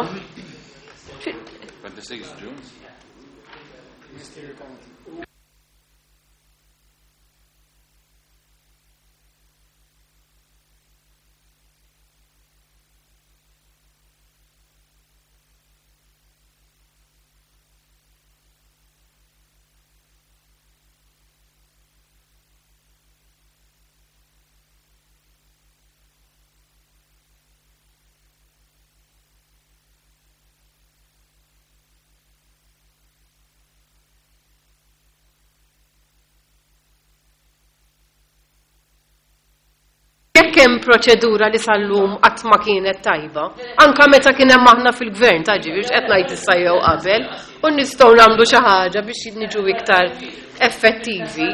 26 June.
Jekk hemm proċedura li sal-lum qatt ma kienet tajba, anka meta kien hemm aħna fil-gvern ta' ġifieri qed ngħid issa jew qabel, u nistgħu nagħmlu xi ħaġa biex niġu iktar effettivi.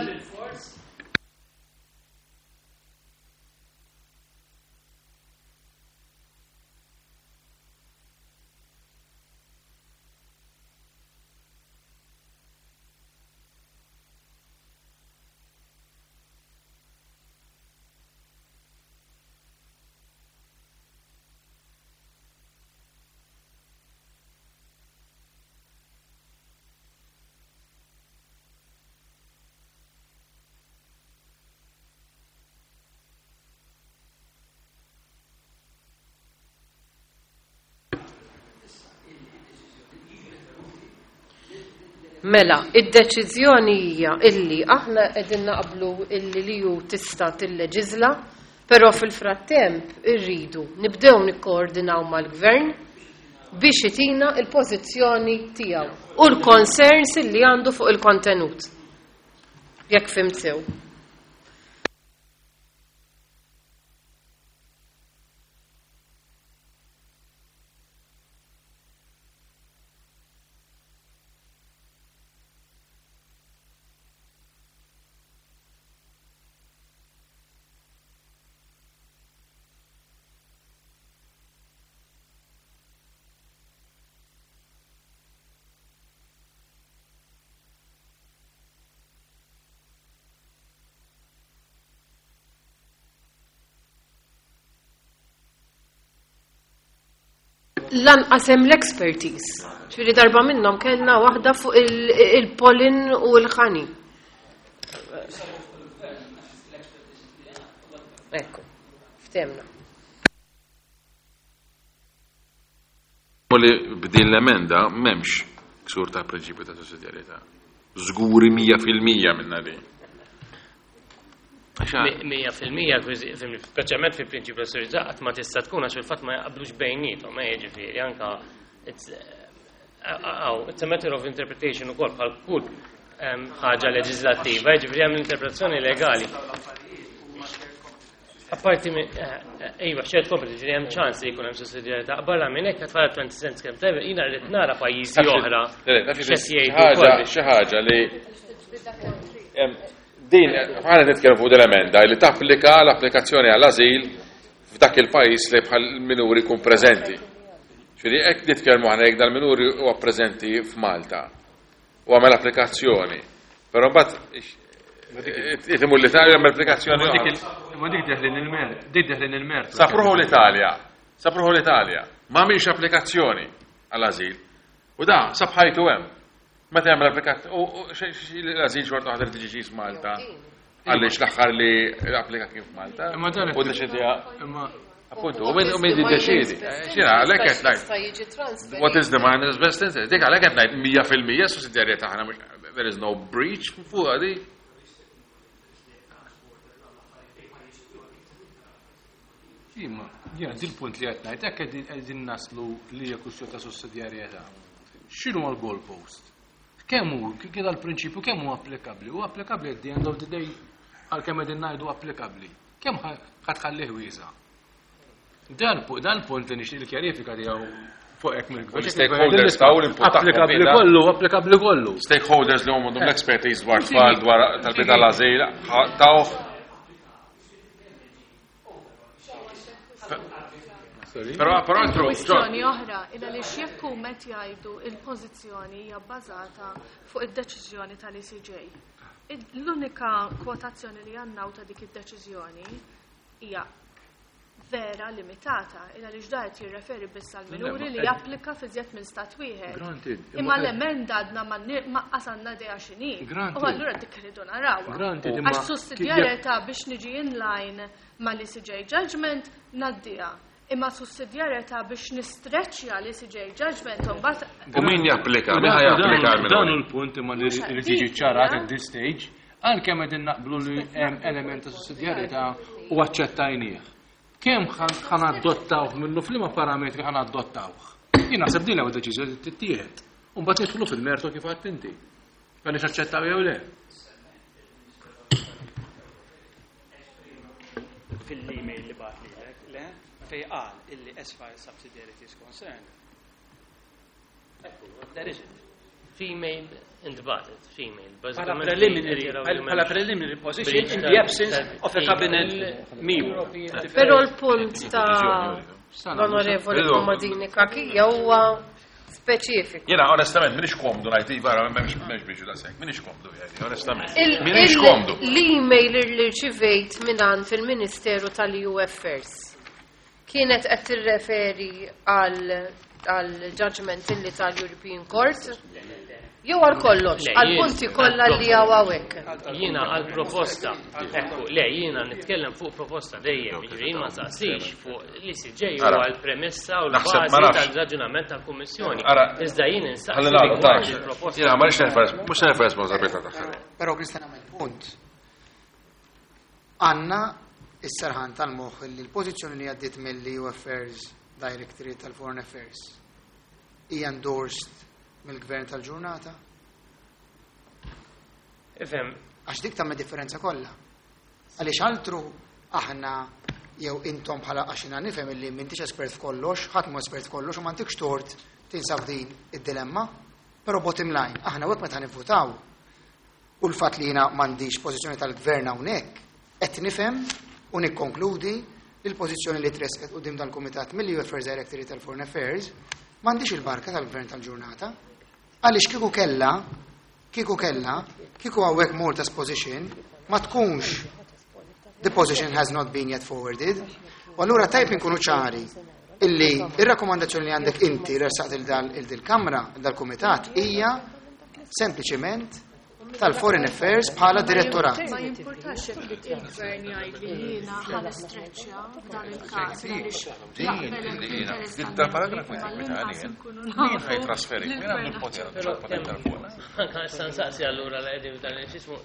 Mela, id-deċiżjoni hija illi aħna qegħdin naqblu illi li hu tista' tilleġiżla, però fil-frattemp irridu nibdew nikkoordinaw mal-gvern biex itina il-pożizzjoni tiegħu u l-concerns illi għandu fuq il-kontenut. Jekk fhimt sew. Lanqas hemm l-expertise. Ġifieri darba minnhom kellna waħda fuq il-pollen u l-ħani. Ekku, ftemna.
U li b'din l-emenda m'hemmx ksur ta' prinċipju ta' sussidjarjetà. Żguri 100% minna li.
100%, speċjalment fil-prinċipju ta' sussidjarjetà qatt ma tista' tkun għax fil-fatt ma jaqblux bejniethom, jiġifieri anka it's a matter of interpretation ukoll bħal kull ħaġa leġislattiva, jiġifieri hemm l-interpretazzjoni legali. Apparti minn, iva, shared competence, ġifieri hemm ċans li jkun hemm sussidjarjetà. Barra minn hekk qed 20 cents kemm tajba, jiena rrid nara pajjiżi oħra.
X'qed jgħidu. Xi ħaġa li din ħana nitkellmu fuq l-emenda li tapplika l-applikazzjoni għall-ażil f'dak il-pajjiż li bħal minuri jkun preżenti. Ġifieri hekk nitkellmu aħna jekk dal-minuri huwa preżenti f'Malta u għamel applikazzjoni. Però mbagħad imur l-Italja għamel applikazzjoni.
Ma dik deħlin il-mer, dik deħlin il-mer.
Sapruħu l-Italja, sapruħu l-Italja, ma għamilx applikazzjoni għall-ażil. U da, sabħajtu hemm. Meta jagħmel applikazzjoni, u l-ażil xorta waħda li tiġi Malta. Għaliex l-aħħar li applika kien f'Malta.
Imma dan
U deċidija.
Imma
Appuntu, u min jiddeċiedi. Xina, għalhekk qed ngħid. What is the minor's best interest? Dik għalhekk qed ngħid 100% sussidjarjetà aħna there is no breach fuq di.
Imma, jiena dil-punt li qed ngħid, hekk qegħdin naslu li hija kwistjoni ta' sussidjarjetà. X'inhu l-goalpost? Kemm hu, kif dal-prinċipju kemm hu applikabbli? Hu applikabbli at the end of the day għalkemm qegħdin ngħidu applikabbli. Kemm ħa tħallih wiesa'? Dan punt li nixtieq il-kjarifika tiegħu fuq hekk mill-gvern.
Stakeholders taw l-input tagħhom
Applikabbli
fina.
kollu, applikabbli kollu.
Stakeholders li huma għandhom l-expertise dwar tfal, dwar talbiet tal-ażil, tawh. Però, però altru,
Kwistjoni oħra, illa li jekk huma qed jgħidu il-pożizzjoni hija bbażata fuq id-deċiżjoni tal-ECJ. L-unika kwotazzjoni li għandna ta' dik id-deċiżjoni hija vera limitata, illa li ġdajt jirreferi biss għal minuri li japplika fi żjed minn stat wieħed.
Granted,
Imma l-emenda għadna ma qasanna idea x'inhi.
Granted.
U allura dik irridu narawha.
Granted, imma
Għax sussidjarjetà biex niġi in line mal-ECJ judgment ngħaddiha. Imma sussidjarjetà biex nistreċċja l-ECJ judgment u mbagħad
U min japplika? Min ħa japplika
Dan
għal-minuri?
hu l-punt imma li jrid jiġi ċarat at this stage, għalkemm qegħdin naqblu li hemm element ta' sussidjarjetà u aċċettajnieh. Kemm ħan adottawh minnu f'liema parametri ħan adottawh? Jien naħseb din l-ewwel deċiżjoni li tittieħed. U mbagħad nidħlu fil-mertu kif għedt inti. Għaliex aċċettaw jew le?
Fil-email li bagħat lilek, le, fej qal illi as far as subsidiarity is concerned. There isn't.
Female intbatet, female.
Bħala preliminary, bħala preliminary position in the absence of a cabinet memo.
Però l-punt ta' l-onorevoli Komadini Kakija huwa speċifiku.
Jena, onestament, minix komdu ngħid, iva, m'hemmx biex daqshekk, minix komdu, jgħidi, onestament. Minix komdu.
L-email li rċivejt mingħand il-Ministeru tal-EU Affairs kienet qed tirreferi għal judgment illi tal-European Court jew għal kollox,
Le,
għal
jien-
punti kollha li hawn hawnhekk.
Jiena għal proposta, ekku, le, jiena nitkellem fuq proposta dejjem, jiġifieri jien ma saqsix fuq l-ICJ u
Ara.
għal premessa u
Naħseb ma
l-bażi
nafx.
tal-raġunament tal-Kummissjoni.
Ara.
Iżda jien insaqsi
Ħalli nagħlqu,
rigward
ta'
il-proposta.
Jiena ma rridx nerfa' mhux nerfa' responsabilità tagħha.
Però Kristjan għamel punt. Għanna is-serħan tal-moħħ li l-pożizzjoni li għaddiet mill-EU Affairs Directorate tal-Foreign Affairs hija endorsed mill-gvern tal-ġurnata?
Ifhem,
Għax dik tagħmel differenza kollha. Għaliex altru aħna jew intom bħala għax jiena nifhem illi m'intix espert f'kollox, ħadd mhu espert f'kollox u m'għandikx tort tinsab din id-dilemma, però bottom line, aħna wek meta nivvutaw u l-fatt li jiena m'għandix pożizzjoni tal-gvern hawnhekk, qed nifhem u nikkonkludi li l-pożizzjoni li tresqet quddiem dal-Kumitat mill-EU Affairs Directorate tal-Foreign Affairs m'għandix il-barka tal-gvern tal-ġurnata. Għaliex kieku kella, kieku kella, kieku hawnhekk Malta's position ma tkunx the position has not been yet forwarded. U allura tajb inkunu ċari illi ir-rakkomandazzjoni li għandek inti ressaqt il-dil-Kamra, dal-Kumitat, hija sempliċement tal-Foreign Affairs bħala direttorat.
Ma jimpurtax jekk il-gvern jgħid li jiena ħa nistreċċja f'dan il-każ għaliex
Din
jaqbel
li jiena,
l-interess
din
tal-minuri,
tal-paragrafu
imma
jtik
l-inqas
meta
inkunu
Min
nafu
ħaj trasferi, min għandu l-poter,
Però
għandu l-poter tal-fuq.
Anka issa nsaqsi allura li qegħdin f'dan il-xismu.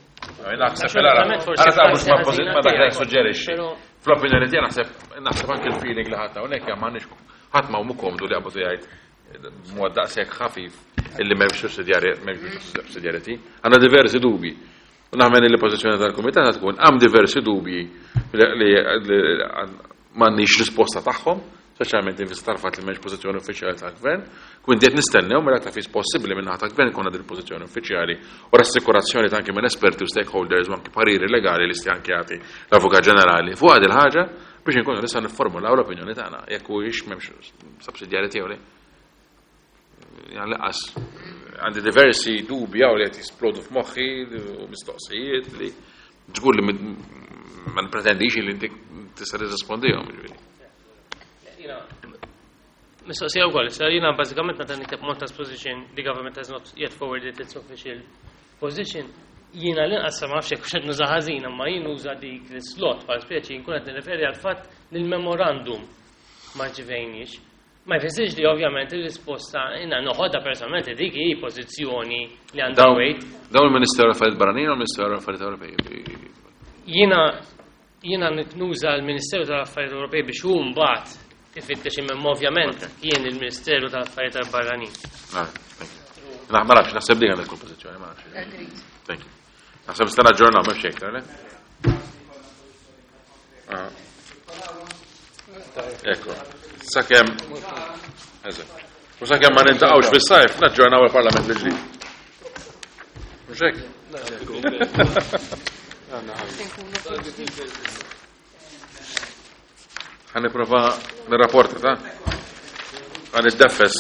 Naħseb il-ara, ara ta' mhux ma pożit ma dak li suġġerixxi.
Però
Fl-opinjoni tiegħi naħseb naħseb anke l-feeling li ħadd hawnhekk hemm m'għandniex ħadd ma hu komdu li qabdu jgħid b'mod daqshekk ħafif illi m'hemmx sussidjarjetà m'hemmx sussidjarjetà. Għandna diversi dubi. U naħmen li l-pożizzjoni tal-Kumitat tkun hemm diversi dubji li m'għandniex risposta tagħhom, speċjalment in vista tal-fatt li m'hemmx pożizzjoni uffiċjali tal-Gvern. Quindi qed nistennew mela ta' fis possibbli minn naħa tal-Gvern ikun din il-pożizzjoni uffiċjali u rassikurazzjoni ta' anke minn esperti u stakeholders u anke pariri legali li sti anke jagħti l-Avukat Ġenerali fuq il ħaġa biex inkunu nistgħu nifformulaw l-opinjoni tagħna jekk huwiex m'hemmx sussidjarjetà jew le. Lanqas għandi diversi dubji li qed jisplodu f'moħħi u mistoqsijiet li żgur li ma nipretendix li inti tista' tirrispondihom ġifieri.
Mistoqsija wkoll, issa jiena bażikament meta nikteb Malta's position, the government has not yet forwarded its official position, jiena l-inqas ma nafx jekk qed nuża ħażin, imma jien nuża dik l-slot bħal speċi nkun qed nirreferi għal fatt li l-memorandum ma rċivejniex. Ma jfissirx li ovvjament ir-risposta jiena noħodha personalment dik hi pożizzjoni li għandha weight.
Dawn il-Ministeru Affarijiet Barranin u l-Ministeru Affarijiet Ewropej.
Jiena nuża l-Ministeru tal-Affarijiet Ewropej biex hu mbagħad ifittex imma ovvjament kien il-Ministeru tal-Affarijiet Barranin.
Ma nafx, naħseb dik għandek pożizzjoni, ma nafx. Thank you. Naħseb sta naġġornaw m'hemmx iktar, le? Ah. Ekku. Sakemm Eżatt. U sakemm ma nintaqgħux fis-sajf, naġġornaw il-Parlament il-ġdid. Mhux hekk? Ħa nipprova nirrapporta ta' ħa niddeffes.